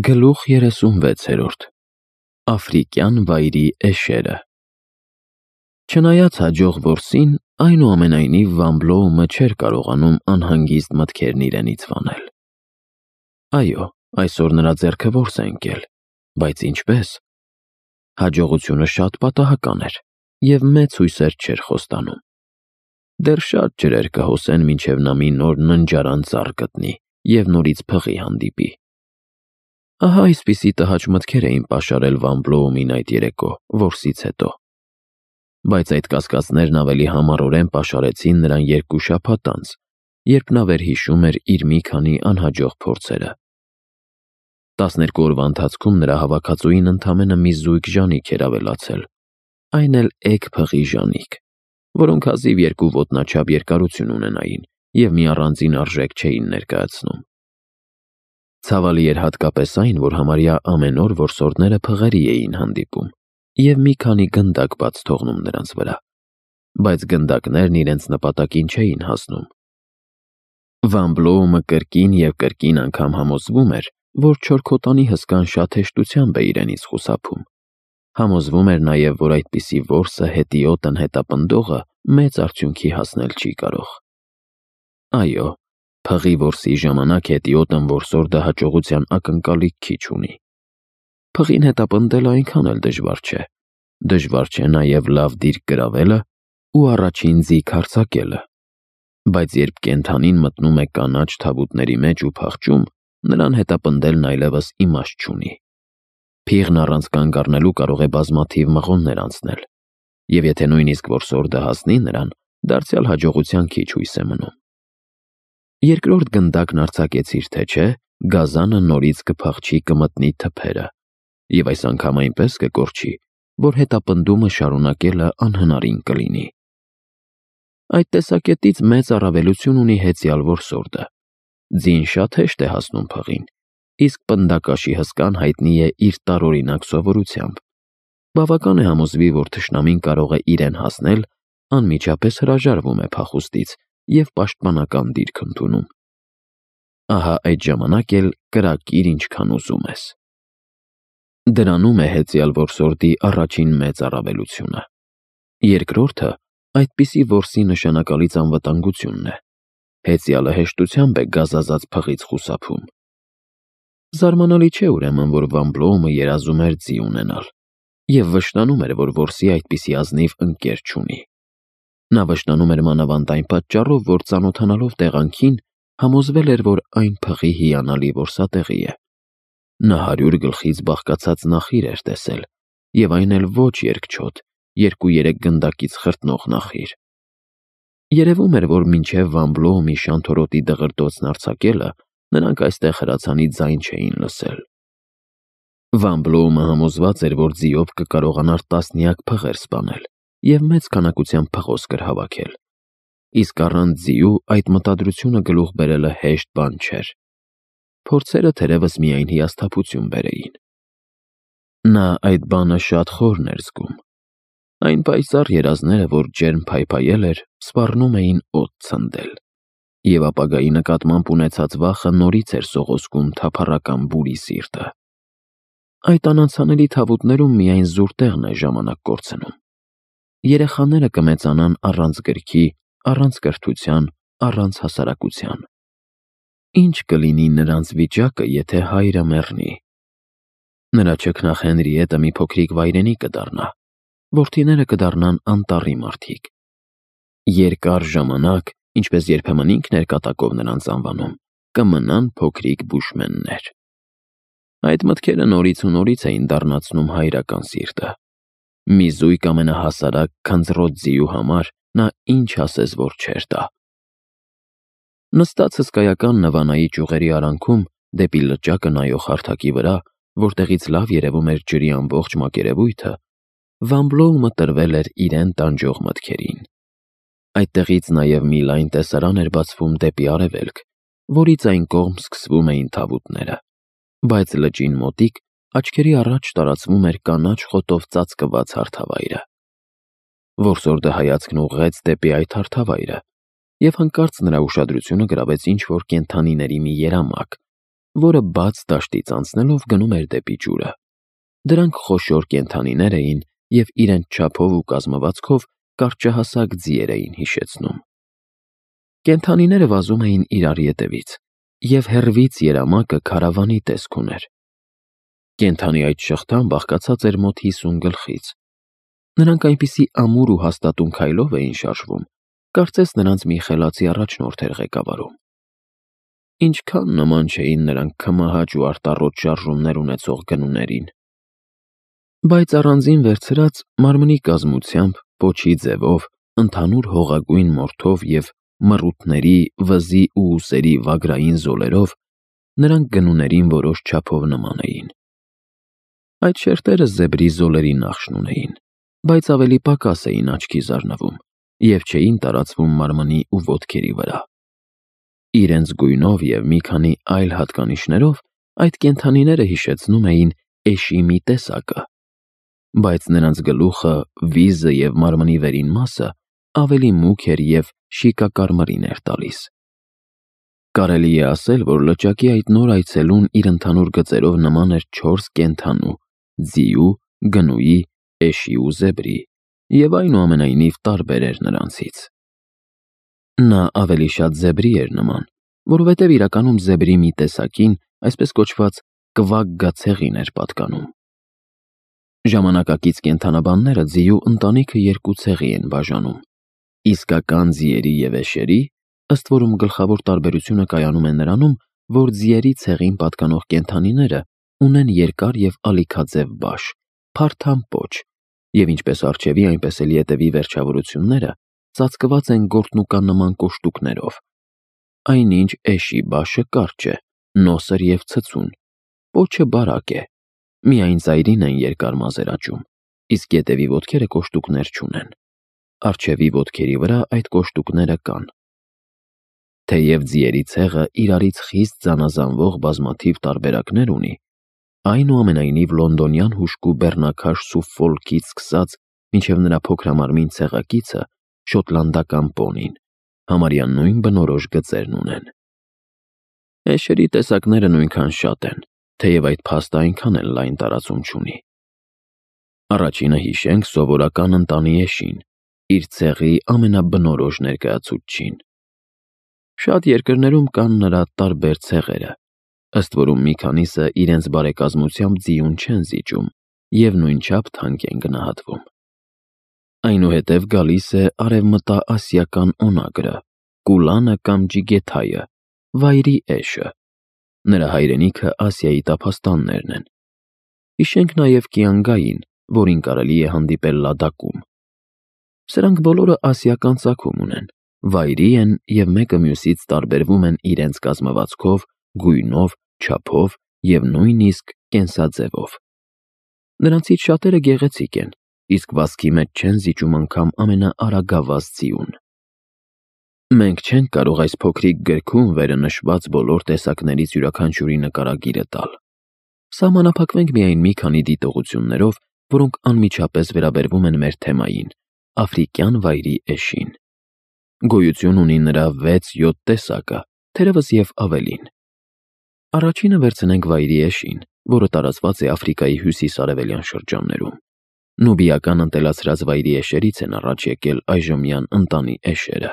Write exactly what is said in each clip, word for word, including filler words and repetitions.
Գլուխ երեսունվեցերորդ Աֆրիկյան վայրի էշերը։ Չնայած հաջող որսին, այնուամենայնիվ Վան Բլոումը չէր կարողանում անհանգիստ մտքերն իրենից վանել։ Այո, այսօր նրա ձեռքը որս է ընկել, բայց ինչպես։ Հաջողությունը շատ պատահական էր, և մեծ հույսեր չէր խոստանում։ Դեռ շատ ջրեր կհոսեն, մինչև նա մի նոր ննջարան ծառ գտնի և նորից փղի հանդիպի։ Ահա այսպիսի տհաճ մտքեր էին պաշարել Վան Բլոումին այդ երեկո, որսից հետո։ Բայց այդ կասկածներն ավելի համառորեն պաշարեցին նրան երկու շաբաթ անց, երբ նա վերհիշում էր իր մի քանի անհաջող փորձերը։ Տասներկու օրվա ընթացքում նրա հավաքածուին ընդամենը մի զույգ ժանիք էր ավելացել, այն էլ էգ փղի ժանիք, որոնք հազիվ երկու ոտնաչափ երկարություն ունենային և մի առանձին արժեք չէին ներկայացնում։ Ցավալի էր հատկապես այն, որ համարյա ամեն օր որսորդները փղերի էին հանդիպում և մի քանի գնդակ բաց թողնում նրանց վրա, բայց գնդակներն իրենց նպատակին չէին հասնում։ Վան Բլոումը կրկին և կրկին անգամ համոզվում էր, որ չորքոտանի հսկան շատ հեշտությամբ է իրենից խուսափում։ Համոզվում էր նաև, որ այդպիսի որսը հետիոտն հետապնդողը մեծ արդյունքի հասնել չի կարող։ Այո, փղի որսի ժամանակ հետիոտն որսորդը հաջողության ակնկալիք քիչ ունի։ Փղին հետապնդելը այնքան էլ դժվար չէ։ Դժվար չէ նաև լավ դիրք գրավելը ու առաջին ձիգ հարձակելը։ Բայց երբ կենդանին մտնում է կանաչ թավուտների մեջ ու փախչում, նրան հետապնդելն այլևս իմաստ չունի։ Փիղն առանց կանգ առնելու կարող է բազմաթիվ մղոններ անցնել, և եթե նույնիսկ որսորդը հասնի նրան, դարձյալ հաջողության քիչ հույս է մնում։ Երկրորդ գնդակն արձակեցիր, թե չէ, գազանը նորից կփախչի կմտնի թփերը, և այս անգամ այնպես կկորչի, որ հետապնդումը շարունակելը անհնարին կլինի։ Այդ տեսակետից մեծ առավելություն ունի հեծյալ որսորդը։ Ձին շատ հեշտ է հասնում փղին, իսկ պնդակաշի հսկան հայտնի է իր տարօրինակ սովորությամբ։ Բավական է համոզվի, որ թշնամին կարող է իրեն հասնել, անմիջապես հրաժարվում է փախուստից և պաշտպանական դիրք ընդունում։ Ահա այդ ժամանակ էլ կրակիր ինչքան ուզում ես։ Դրանում է հեծյալ որսորդի առաջին մեծ առավելությունը։ Երկրորդը այդպիսի որսի նշանակալից անվտանգությունն է։ Հեծյալը հեշտությամբ է գազազած փղից խուսափում։ Զարմանալի չէ ուրեմն, որ Վան Բլոումը երազում էր ձի ունենալ և վշտանում էր, որ որսի այդպիսի ազնիվ ընկեր չունի։ Նա վշտանում էր մանավանդ այն պատճառով, որ ծանոթանալով տեղանքին, համոզվել էր, որ այն փղի հիանալի որսատեղի է։ Նա հարյուր գլխից բաղկացած նախիր էր տեսել, և այն էլ ոչ երկչոտ, երկու-երեք գնդակից խրտնող նախիր։ Երևում էր, որ մինչև Վան Բլոումի շանթորոտի դղրդոցն արձակելը, նրանք այստեղ հրացանի ձայն չէին լսել։ Վան Բլոումը համոզված էր, որ ձիով կկարողանար տասնյակ փղեր սպանել և մեծ քանակությամբ փղոսկր հավաքել, իսկ առանց ձիու այդ մտադրությունը գլուխ բերելը հեշտ բան չէր։ Փորձերը թերևս միայն հիասթափություն բերեին։ Նա այդ բանը շատ խորն էր զգում։ Այն պայծառ երազները, որ ջերմ փայփայել էր, սպառնում էին օդ ցնդել, և ապագայի նկատմամբ ունեցած վախը նորից էր սողոսկում թափառական բուրի սիրտը։ Այդ անանցանելի թավուտներում միայն զուր տեղն է ժամանակ կորցնում։ Երեխաները կմեծանան առանց գրքի, առանց կրթության, առանց հասարակության։ Ինչ կլինի նրանց վիճակը, եթե հայրը մեռնի։ Նրա չքնաղ Հենրիետը մի փոքրիկ վայրենի կդառնա, որդիները կդառնան անտառի մարդիկ։ Երկար ժամանակ, ինչպես երբեմն ինքն էր կատակով նրանց անվանում, կմնան փոքրիկ բուշմեններ։ Այդ մտքերը նորից ու նորից էին դառնացնում հայրական սիրտը։ Մի զույգ ամենահասարակ քնձռոտ ձիու համար նա ինչ ասես որ չէր տա։ Նստած հսկայական Նվանայի ճյուղերի արանքում, դեպի լճակը նայող հարթակի վրա, որտեղից լավ երևում էր ջրի ամբողջ մակերևույթը, Վան Բլոումը տրվել էր իրեն տանջող մտքերին։ Այդտեղից նաև մի լայն տեսարան էր բացվում դեպի արևելք, որից այն կողմ սկսվում էին թավուտները, բայց լճին մոտիկ աչքերի առաջ տարածվում էր կանաչ խոտով ծածկված հարթավայրը։ Որսորդը հայացքն ուղղեց դեպի այդ հարթավայրը, և հանկարծ նրա ուշադրությունը գրավեց ինչ-որ կենդանիների մի երամակ, որը բաց դաշտից անցնելով գնում էր դեպի ջուրը։ Դրանք խոշոր կենդանիներ էին և իրենց չափով ու կազմվածքով կարճահասակ ձիեր էին հիշեցնում։ Կենդանիները վազում էին իրար ետևից, և հեռվից երամակը քարավանի տեսք ուներ։ Կենդանի այդ շղթան բաղկացած էր մոտ հիսուն գլխից։ Նրանք այնպիսի ամուր ու հաստատուն քայլով էին շարժվում, կարծես նրանց մի խելացի առաջնորդ էր ղեկավարում։ Ինչքան նման չէին նրանք քմահաճ ու արտառոտ շարժումներ ունեցող գնուներին։ Բայց առանձին վերցրած մարմնի կազմությամբ, պոչի ձևով, ընդհանուր հողագույն մորթով և մռութների, վզի ու ուսերի վագրային զոլերով նրանք գնուներին որոշ չափով նման էին։ Այդ շերտերը զեբրի զոլերի նախշն ունեին, բայց ավելի պակաս էին աչքի զարնվում և չէին տարածվում մարմնի ու ոտքերի վրա։ Իրենց գույնով և մի քանի այլ հատկանիշներով այդ կենդանիները հիշեցնում էին էշի մի տեսակը, բայց նրանց գլուխը, վիզը և մարմնի վերին մասը ավելի մուգ էր և շիկակարմրին էր տալիս։ Կարելի է ասել, որ լճակի այդ նոր այցելուն իր ընդհանուր գծերով նման էր չորս կենդանու՝ ձիու, գնուի, էշի ու զեբրի, և այնուամենայնիվ տարբեր էր նրանցից։ Նա ավելի շատ զեբրի էր նման, որովհետև իրականում զեբրի մի տեսակին, այսպես կոչված կվագգա ցեղին էր պատկանում։ Ժամանակակից կենդանաբանները ձիու ընտանիքը երկու ցեղի են բաժանում՝ իսկական ձիերի և էշերի, ըստ որում գլխավոր տարբերությունը կայանում է նրանում, որ ձիերի ցեղին պատկանող կենդանիները ունեն երկար և ալիքաձև բաշ, փարթամ պոչ, և ինչպես առջևի, այնպես էլ ետևի վերջավորությունները ծածկված են գորտնուկանման կոշտուկներով, այնինչ էշի բաշը կարճ է, նոսր և ցցուն, պոչը բարակ է, միայն ծայրին են երկար մազեր աճում, իսկ ետևի ոտքերը կոշտուկներ չունեն, առջևի ոտքերի վրա այդ կոշտուկները կան։ Թեև ձիերի ցեղը իրարից խիստ զանազանվող բազմաթիվ տարբերակներ ունի, այնուամենայնիվ լոնդոնյան հուժկու բեռնաքաշ Սուֆոլքից սկսած մինչև նրա փոքրամարմին ցեղակիցը՝ շոտլանդական պոնին, համարյա նույն բնորոշ գծերն ունեն։ Էշերի տեսակները նույնքան շատ են, թեև այդ փաստը այնքան էլ լայն տարածում չունի։ Առաջինը հիշենք սովորական ընտանի էշին, իր ցեղի ամենաբնորոշ ներկայացուցչին։ Շատ երկրներում կան նրա տարբեր ցեղերը, ըստ որում մի քանիսը իրենց բարեկազմությամբ ձիուն չեն զիջում և նույնչափ թանկ են գնահատվում։ Այնուհետև գալիս է արևմտաասիական օնագրը, կուլանը կամ ջիգեթայը, վայրի էշը։ Նրա հայրենիքը Ասիայի տափաստաններն են։ Հիշենք նաև կիանգային, որին կարելի է հանդիպել Լադակում։ Սրանք բոլորը ասիական ծագում ունեն, վայրի են և մեկը մյուսից տարբերվում են իրենց կազմվածքով, գույնով, չափով և նույնիսկ կենսաձևով։ Նրանցից շատերը գեղեցիկ են, իսկ վազքի մեջ չեն զիջում անգամ ամենաարագավազ ձիուն։ Մենք չենք կարող այս փոքրիկ գրքում վերը նշված բոլոր տեսակներից յուրաքանչյուրի նկարագիրը տալ։ Սահմանափակվենք միայն մի քանի դիտողություններով, որոնք անմիջապես վերաբերվում են մեր թեմային՝ աֆրիկյան վայրի էշին։ Գոյություն ունի նրա վեց-յոթ տեսակը, թերևս և ավելին։ Առաջինը վերցնենք վայրի էշին, որը տարածված է Աֆրիկայի հյուսիս-արևելյան շրջաններում։ Նուբիական ընտելացրած վայրի էշերից են առաջ եկել այժմյան ընտանի էշերը։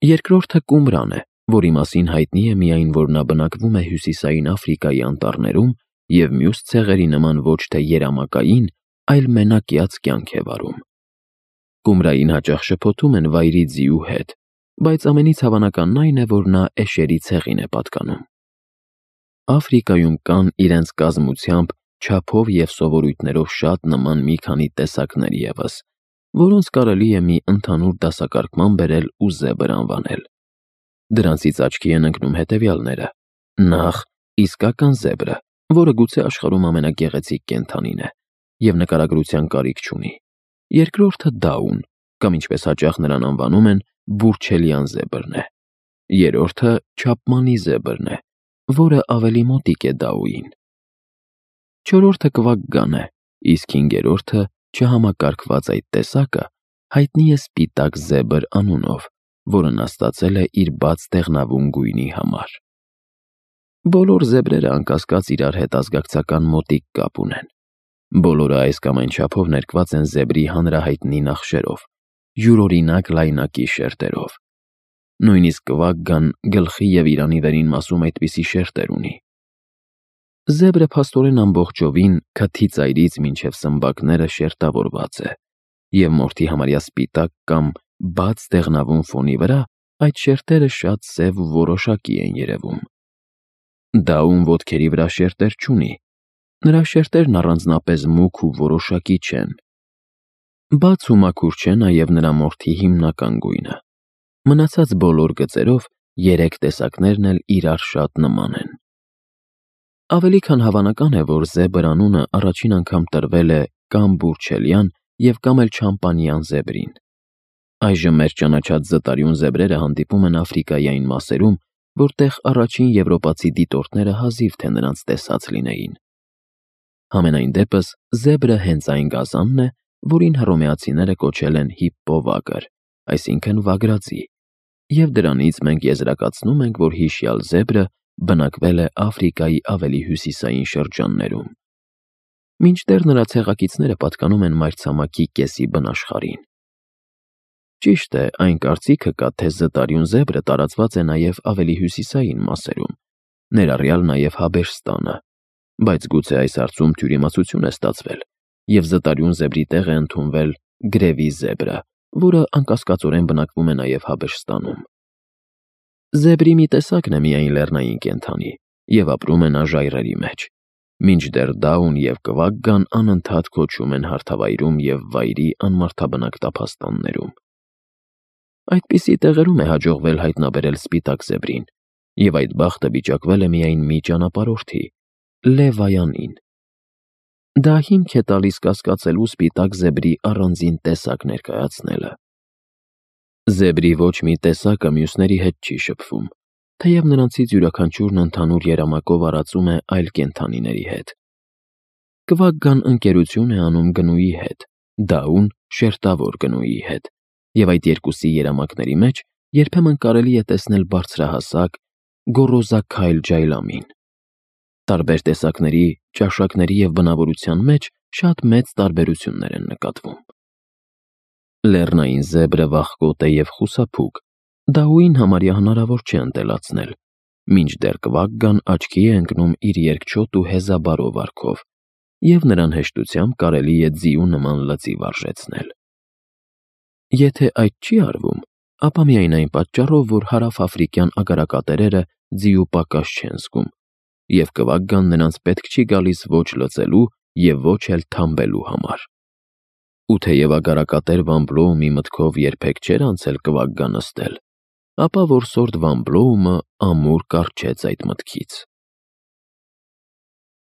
Երկրորդը կումրան է, որի մասին հայտնի է միայն, որ նա բնակվում է հյուսիսային Աֆրիկայի անտառներում և մյուս ցեղերի նման ոչ թե երամակային, այլ մենակյաց կյանք է վարում։ Կումրային հաճախ շփոթում են վայրի ձիու հետ, բայց ամենից հավանականն այն է, որ նա էշերի ցեղին է պատկանում։ Աֆրիկայում կան իրենց կազմությամբ, չափով և սովորույթներով շատ նման մի քանի տեսակներ ևս, որոնց կարելի է մի ընդհանուր դասակարգման բերել ու զեբր անվանել։ Դրանցից աչքի են ընկնում հետևյալները. Նախ, իսկական զեբրը, որը գուցե աշխարհում ամենագեղեցիկ կենդանին է և նկարագրության կարիք չունի։ Երկրորդը դաուն, կամ ինչպես հաճախ նրան անվանում են, բուրչելյան զեբրն է։ Երրորդը չապմանի զեբրն է, որը ավելի մոտիկ է դաուին։ Չորրորդը կվագգան է, իսկ հինգերորդը չհամակարգված այդ տեսակը հայտնի է սպիտակ զեբր անունով, որը նա ստացել է իր բաց դեղնավուն գույնի համար։ Բոլոր զեբրերը անկասկած իրար հետ ազգակցական մոտիկ կապ ունեն։ Բոլորը այս կամ այն չափով ներկված են զեբրի հանրահայտնի նախշերով, յուրօրինակ լայնակի շերտերով։ Նույնիսկ կվագգան գլխի և իրանի վերին մասում այդպիսի շերտեր ունի։ Զեբրը փաստորեն ամբողջովին քթի ծայրից մինչև սմբակները շերտավորված է, և մորթի համարյա սպիտակ կամ բաց դեղնավուն ֆոնի վրա այդ շերտերը շատ սև ու որոշակի են երևում։ Դաուն ոտքերի վրա շերտեր չունի, նրա շերտերն առանձնապես մուգ ու որոշակի չեն։ Բաց ու մաքուր չէ նաև նրա մորթի հիմնական գույնը։ Մնացած բոլոր գծերով երեք տեսակներն էլ իրար շատ նման են։ Ավելի քան հավանական է, որ զեբր անունը առաջին անգամ տրվել է կամ բուրչելյան և կամ էլ չամպանյան զեբրին։ Այժմ մեր ճանաչած զտարյուն զեբրերը հանդիպում են Աֆրիկայի այն մասերում, որտեղ առաջին եվրոպացի դիտորդները հազիվ թե նրանց տեսած լինեին։ Համենայն դեպս, զեբրը հենց այն գազանն է, որին հռոմեացիները կոչել են հիպպովագր, այսինքն վագրածի, և դրանից մենք եզրակացնում ենք, որ հիշյալ զեբրը բնակվել է Աֆրիկայի ավելի հյուսիսային շրջաններում, մինչդեռ նրա ցեղակիցները պատկանում են մայրցամաքի կեսի բնաշխարհին։ Ճիշտ է, այն կարծիքը կա, թե զտարյուն զեբրը տարածված է նաև ավելի հյուսիսային մասերում, ներառյալ նաև Հաբեշստանը, բայց գուցե այս հարցում թյուրիմացություն է ստացվել, և զտարյուն զեբրի տեղ է ընդունվել գրևի զեբրը, որը անկասկածորեն բնակվում է նաև Հաբեշստանում։ Զեբրի մի տեսակն է միայն լեռնային կենդանի և ապրում է նա ժայռերի մեջ, մինչդեռ դաուն և կվագգան անընդհատ կոչում են հարթավայրում և վայրի անմարդաբնակ տափաստաններում։ Այդպիսի տեղերում է հաջողվել հայտնաբերել սպիտակ զեբրին, և այդ բախտը վիճակվել է միայն մի ճանապարհորդի՝ Լևայանին։ Դա հիմք է տալիս կասկածելու սպիտակ զեբրի առանձին տեսակ ներկայացնելը։ Զեբրի ոչ մի տեսակը մյուսների հետ չի շփվում, թեև նրանցից յուրաքանչյուրն ընդհանուր երամակով արածում է այլ կենդանիների հետ։ Կվագգան ընկերություն է անում գնուի հետ, դաուն շերտավոր գնուի հետ, և այդ երկուսի երամակների մեջ երբեմն կարելի է տեսնել բարձրահասակ, գոռոզաքայլ ջայլամին։ Տարբեր տեսակների, ճաշակների և բնավորության մեջ շատ մեծ տարբերություններ են նկատվում։ Լեռնային զեբրը վախկոտ է և խուսափուկ, դաուին համարյա հնարավոր չէ ընտելացնել, մինչդեռ կվագգան աչքի է ընկնում իր երկչոտ ու հեզաբարո վարքով, և նրան հեշտությամբ կարելի է ձիու նման լծի վարժեցնել։ Եթե այդ չի արվում, ապա միայն այն պատճառով, որ հարավաֆրիկյան ագարակատերերը ձիու պակաս չեն զգում, և կվագգան նրանց պետք չի գալիս ոչ լծելու և ոչ էլ թամբելու համար։ Ու թեև ագարակատեր Վամբլոումի մտքով երբեք չէր անցել կվագգա նստել, ապա որսորդ Վամբլոումը ամուր կառչեց այդ մտքից։